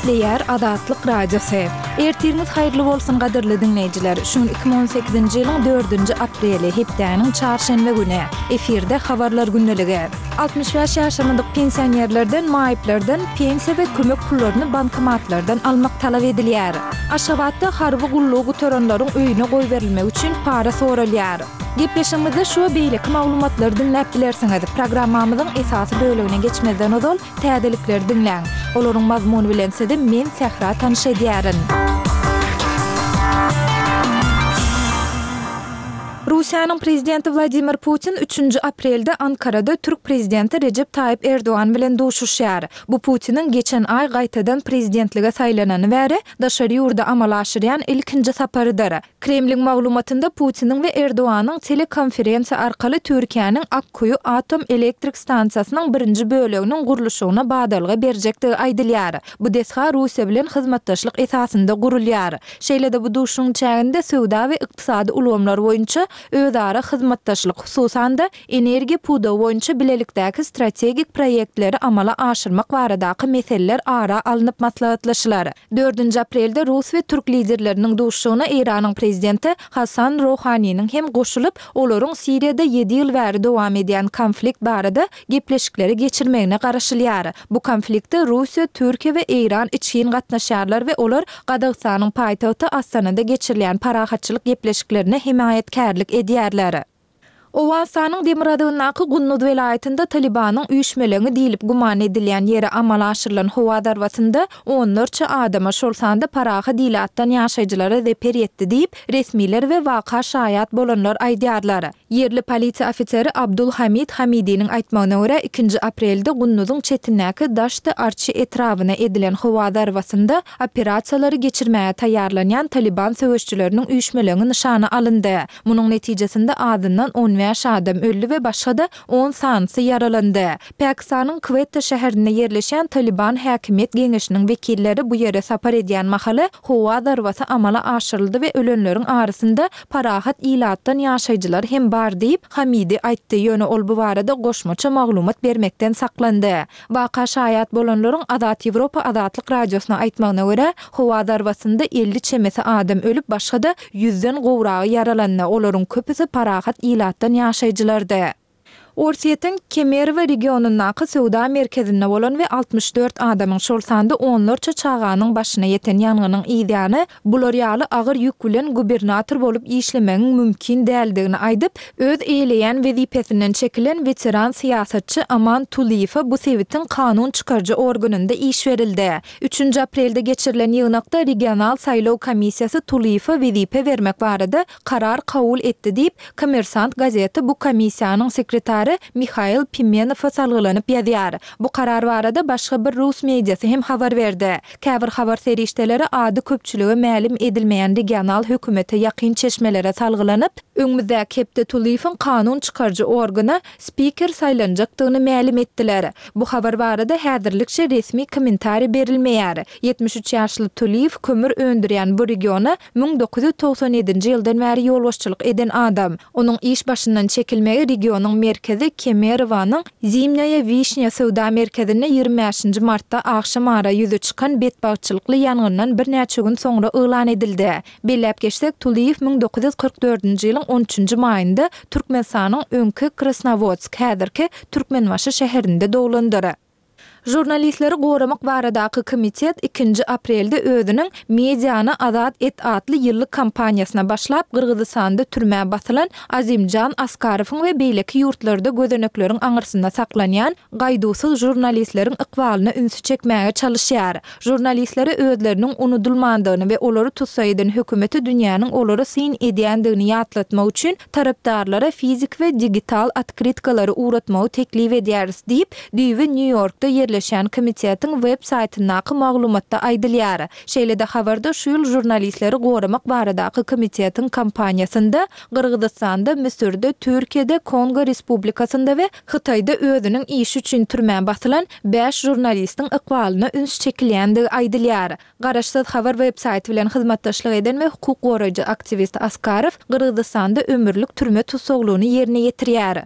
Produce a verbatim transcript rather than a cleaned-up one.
Gepleýär Azatlyk Radiosy. Ertiriňiz haýyrly bolsun gadyrly diňleýjiler. Şu gün iki müň on sekizinji ýylyň dördünji apreli, hepdäniň çarşenbe güni. Efirde Habarlar gündeligi. Altmyş bäş ýaşamadyk pensionerlerden, maýyplardan pensiýa we kömek pullaryny bankomatlardan almak talap edilýär. Aşgabatda harby gullugy gutaranlaryň öýüne goýberilmegi üçin para soralýar. Gepleşigimizde şu we beýleki maglumatlary diňläp bilersiňiz. Programmamyzyň esasy bölegine geçmezden ozal, täzelikleri diňläň. Olaryň mazmuny bilen sizi men, Sähra tanyş edýärin. Russiýanyň Prezidenti Wladimir Putin üçünji aprelde Ankarada türk Prezidenti Rejep Taýyp Erdogan bilen duşuşýar. Bu Putiniň geçen aý gaýtadan prezidentlige saýlanany bäri daşary ýurda amala aşyrýan ilkinji saparydyr. Kremliň maglumatynda Putiniň we Erdoganyň telekonferensiýa arkaly Türkiýäniň Akkuýu atom elektrik stansiýasynyň birinji böleginiň gurluşygyna badalga berjekdigi aýdylýar. Bu desga Russiýa bilen hyzmatdaşlyk esasynda gurulýar. Şeýle-de bu duşuşygyň çäginde söwda we ykdysady ulgamlar boýunça özara hyzmatdaşlyk, hususan-da, energiýa pudagy boýunça bilelikdäki strategik proýektleri amala aşyrmak baradaky meseleler ara alnyp maslahatlaşylar. Dördünji aprelde rus we türk liderleriniň duşuşygyna Eýranyň prezidenti Hasan Rohaniniň hem goşulyp, olaryň Siriýada ýedi ýyl bäri dowam edýän konflikt barada gepleşikleri geçirmegine garaşylýar. Bu konflikte Russiýa, Türkiýe we Eýran içgin gatnaşýarlar we olar Gazagystanyň paýtagty Astanada geçirilýän parahatçylyk gepleşiklerine hemaýatkärlik edýärler. Owganystanyň demirgazygyndaky Gunduz welaýatynda Talybanyň üýşmeleňi diýlip güman edilýän ýere amala aşyrylan howa zarbasynda onlarça adama, şol sanda parahat ilatdan ýaşaýjylara zeper ýetdi diýip, resmiler we waka şaýat bolanlar aýdýarlar. Ýerli polisiýa ofiseri Abdul Hamid Hamidiniň aýtmagyna görä, ikinji aprelde Gunduzyň çetindäki Daşty-Arçy etrabyna edilen howa zarbasynda operasiýalary geçirmäge taýýarlanýan Talyban söweşçileriniň üýşmeleňi nyşana alyndy. Munuň netijesinde azyndan on bäş adam öldi we başga-da on sanysy ýaralandy. Pakistanyň Kwetta şäherinde ýerleşýän Talyban häkimiýet geňeşiniň wekilleri bu ýere sapar edýän mahaly howa zarbasy amala aşyryldy we ölenleriň arasynda parahat ilatdan ýaşaýjylar hem bar diýip, Hamidi aýtdy, ýöne ol bu barada goşmaça maglumat bermekden saklandy. Waka şaýat bolanlaryň Azat Ýewropa Azatlyk Radiosyna aýtmagyna görä, howa zarbasynda elli çemesi adam ölüp, başga-da ýüzden gowragy ýaralandy, olaryň köpüsi parahat ilatdan ýaşaýjylardy. Orsýetiň Kemerowo regionyndaky söwda merkezinde bolan we altmyş dört adamyň, şol sanda onlarça çaganyň başyna ýeten ýangynyň yzýany, bular ýaly agyr ýük bilen gubernator bolup işlemegiň mümkin däldigini aýdyp, öz eýeleýän wezipesinden çekilen weteran syýasatçy Aman Tulyýewe bu sebitiň kanun çykaryjy organynda iş berildi. Üçünji aprelde geçirilen ýygnakda regional saýlaw komissiýasy Tulyýewe wezipe bermek barada karar kabul etdi diýip, Kommersant gazeti bu komissiýanyň sekretary Mihail Pimenowa salgylanyp ýazýar. Bu karar barada başga bir rus mediasy hem habar berdi. Käbir habar serişdeleri ady köpçülige mälim edilmeýän regional hökümete ýakyn çeşmelere salgylanyp, öňümizdäki hepde Tulyýewiň kanun çykaryjy organa spiker saýlanjakdygyny mälim etdiler. Bu habar barada häzirlikçe resmi kommentariý berilmeýär. Ýetmiş üç ýaşly Tulyýew kömür öndürýän bu regiona müň dokuz ýüz togsan ýedinji ýyldan bäri ýolbaşçylyk eden adam. Onuň iş başyndan çekilmegi regionyň merkezi Kemerowanyň Zimnýaýa Wişnýa söwda merkezinde ýigrimi bäşinji martda agşam ara ýüze çykan betbagtçylykly ýangyndan birnäçe gün soňra yglan edildi. Belläp geçsek, Tulyýew müň dokuz ýüz kyrk dördünji ýylyň on üçünji maýynda Türkmenistanyň öňki Krasnowodsk, häzirki Türkmenbaşy şäherinde doglandyr. Žurnalistleri goramak baradaky komitet ikinji aprelde özüniň Mediany azat et atly ýyllyk kampaniýasyna başlap, Gyrgyzystanda türmä basylan Azimjan Askarowyň we beýleki ýurtlarda gözenekleriň aňyrsynda saklanýan gaýduwsyz žurnalistleriň ykbalyna ünsi çekmäge çalyşýar. Žurnalistlere özleriniň unudylmandygyny we olary tussag eden hökümete dünýäniň olara syn edýändigini ýatlatmak üçin tarapdarlara fiziki we digital otkrytkalary ugratmagy teklip edýäris diýip, düýbi Nýu-Ýorkda ýerleşýän komitetiň web saýtyndaky maglumatda aýdylýar. Şeýle-de habarda şu ýyl žurnalistleri goramak baradaky komitetiň kampaniýasynda Gyrgyzystanda, Müsürde, Türkiýede, Kongo Respublikasynda we Hytaýda özüniň işi üçin türmä basylan bäş žurnalistiň ykbalyna üns çekilýändigi aýdylýar. Garaşsyz habar web saýty bilen hyzmatdaşlyk eden we hukuk goraýjy aktiwist Askarow Gyrgyzystanda ömürlik türme tussaglygyny ýerine ýetirýär.